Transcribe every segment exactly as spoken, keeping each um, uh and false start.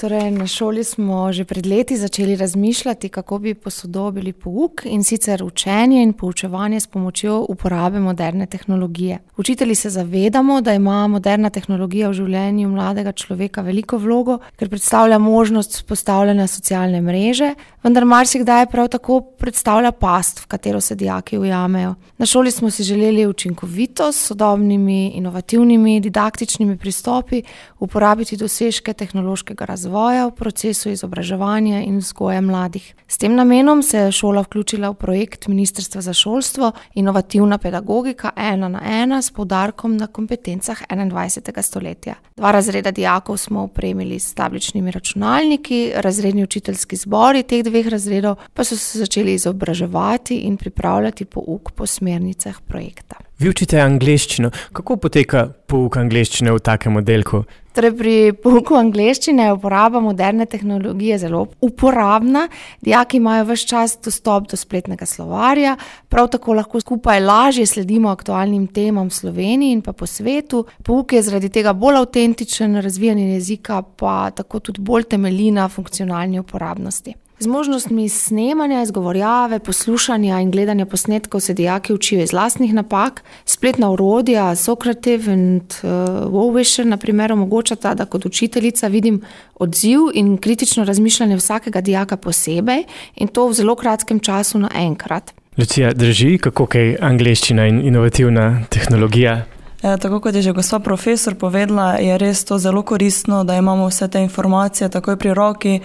Torej, na šoli smo že pred leti začeli razmišljati, kako bi posodobili pouk in sicer učenje in poučevanje s pomočjo uporabe moderne tehnologije. Učitelji se zavedamo, da ima moderna tehnologija v življenju mladega človeka veliko vlogo, ker predstavlja možnost vzpostavljanja socialne mreže, vendar marsikdaj prav tako predstavlja past, v katero se dijaki ujamejo. Na šoli smo si želeli učinkovitost s sodobnimi, inovativnimi, didaktičnimi pristopi, uporabiti dosežke tehnološkega razvoja v procesu izobraževanja in vzgoje mladih. S tem namenom se je šola vključila v projekt Ministrstva za šolstvo Inovativna pedagogika ena na ena s poudarkom na kompetencah enaindvajsetega stoletja. Dva razreda dijakov smo opremili s tabličnimi računalniki, razredni učiteljski zbori teh dveh razredov pa so se začeli izobraževati in pripravljati pouk po smernicah projekta. Vi učite angleščino. Kako poteka pouk angleščine v takem oddelku? Torej, pri pouku angleščine je uporaba moderne tehnologije zelo uporabna. Dijaki imajo ves čas dostop do spletnega slovarja, prav tako lahko skupaj lažje sledimo aktualnim temam v Sloveniji in pa po svetu. Pouk je zaradi tega bolj avtentičen, razvijanje jezika pa tako tudi bolj temelji na funkcionalni uporabnosti. Z možnostmi snemanja, izgovorjave, poslušanja in gledanja posnetkov se dijaki učijo iz lastnih napak. Spletna orodja Socrative in uh, Wowwisher na primer omogočata, da kot učiteljica vidim odziv in kritično razmišljanje vsakega dijaka posebej in to v zelo kratkem času naenkrat. Lucija, drži, kako kaj angleščina in inovativna tehnologija? Ja, tako kot je že gospa profesor povedala, je res to zelo koristno, da imamo vse te informacije takoj pri roki.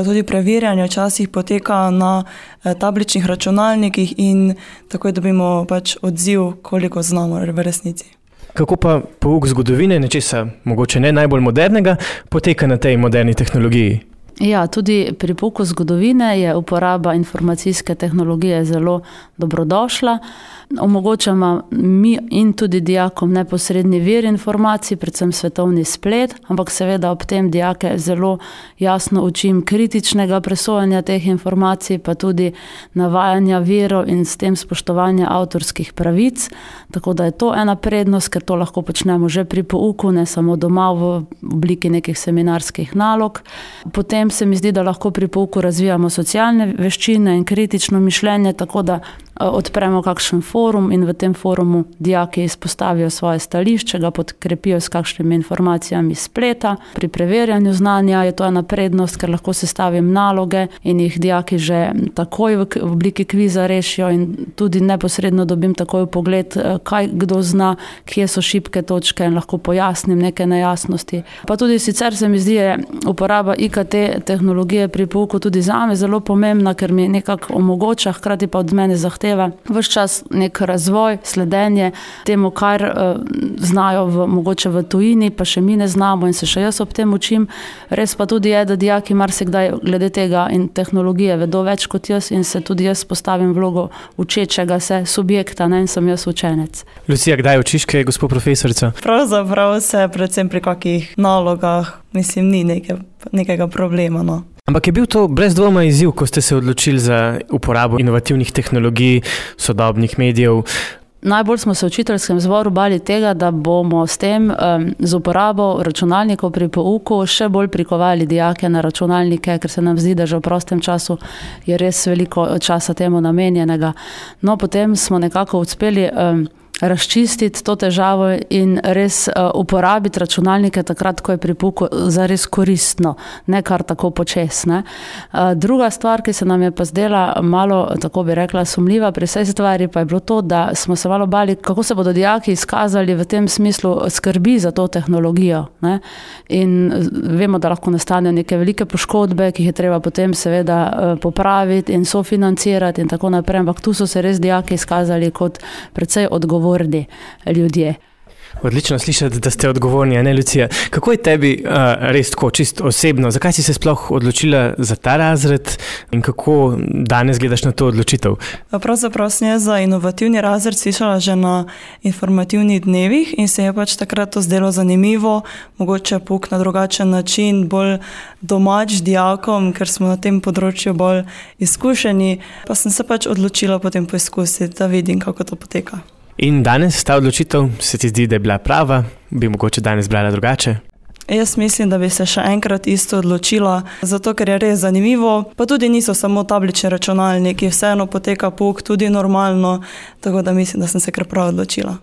Tudi preverjanje včasih poteka na tabličnih računalnikih in takoj dobimo pač odziv, koliko znamo v resnici. Kako pa pouk zgodovine, nečesa mogoče ne najbolj modernega, poteka na tej moderni tehnologiji? Ja, tudi pri pouku zgodovine je uporaba informacijske tehnologije zelo dobrodošla. Omogočamo mi in tudi dijakom neposredni vir informacij, predvsem svetovni splet, ampak seveda ob tem dijake zelo jasno učim kritičnega presojanja teh informacij, pa tudi navajanja virov in s tem spoštovanja avtorskih pravic. Tako da je to ena prednost, ker to lahko počnemo že pri pouku, ne samo doma v obliki nekih seminarskih nalog. Potem se mi zdi, da lahko pri pouku razvijamo socialne veščine in kritično mišljenje, tako da odpremo kakšen forum in v tem forumu dijaki izpostavijo svoje stališče, ga podkrepijo s kakšnimi informacijami spleta. Pri preverjanju znanja je to ena prednost, ker lahko sestavim naloge in jih dijaki že takoj v obliki kviza rešijo in tudi neposredno dobim takoj pogled, kaj kdo zna, kje so šibke točke in lahko pojasnim neke nejasnosti. Pa tudi sicer se mi zdi, je uporaba I K T tehnologije pri pouku tudi zame zelo pomembna, ker mi nekako omogoča, hkrati pa od mene zahteva ves čas nek razvoj, sledenje temu, kar uh, znajo v, mogoče v tujini, pa še mi ne znamo in se še jaz ob tem učim. Res pa tudi je, da dijaki marsikdaj glede tega in tehnologije vedo več kot jaz in se tudi jaz postavim vlogo učečega se subjekta, ne, in sem jaz učenec. Lucija, kdaj učiš kaj, gospod profesorica? Pravzaprav se predvsem pri kakih nalogah, mislim, ni neke, nekega problema, no. Ampak je bil to brez dvoma izziv, ko ste se odločili za uporabo inovativnih tehnologij, sodobnih medijev? Najbolj smo se v učiteljskem zboru bali tega, da bomo s tem, z uporabo računalnikov pri pouku še bolj prikovali dijake na računalnike, ker se nam zdi, da že v prostem času je res veliko časa temu namenjenega. No, potem smo nekako uspeli razčistiti to težavo in res uh, uporabiti računalnike takrat, ko je pri pouku zares koristno, ne kar tako počesne. Uh, druga stvar, ki se nam je pa zdela malo, tako bi rekla, sumljiva pri vsej stvari, pa je bilo to, da smo se malo bali, kako se bodo dijaki izkazali v tem smislu skrbi za to tehnologijo. Ne? In vemo, da lahko nastanejo neke velike poškodbe, ki jih je treba potem seveda uh, popraviti in sofinancirati in tako naprej, ampak tu so se res dijaki izkazali kot precej odgovorni ljudje. Odlično slišati, da ste odgovorni, a ne, Lucija. Kako je tebi uh, res tako, čisto osebno? Zakaj si se sploh odločila za ta razred in kako danes gledaš na to odločitev? Pravzaprav sem jaz za inovativni razred slišala že na informativnih dnevih in se je pač takrat to zdelo zanimivo, mogoče pouk na drugačen način, bolj domač dijakom, ker smo na tem področju bolj izkušeni, pa sem se pač odločila potem poizkusiti, da vidim, kako to poteka. In danes ta odločitev se ti zdi, da je bila prava, bi mogoče danes brala drugače? Jaz mislim, da bi se še enkrat isto odločila, zato ker je res zanimivo, pa tudi niso samo tablični računalniki, vseeno poteka pouk tudi normalno, tako da mislim, da sem se kar prav odločila.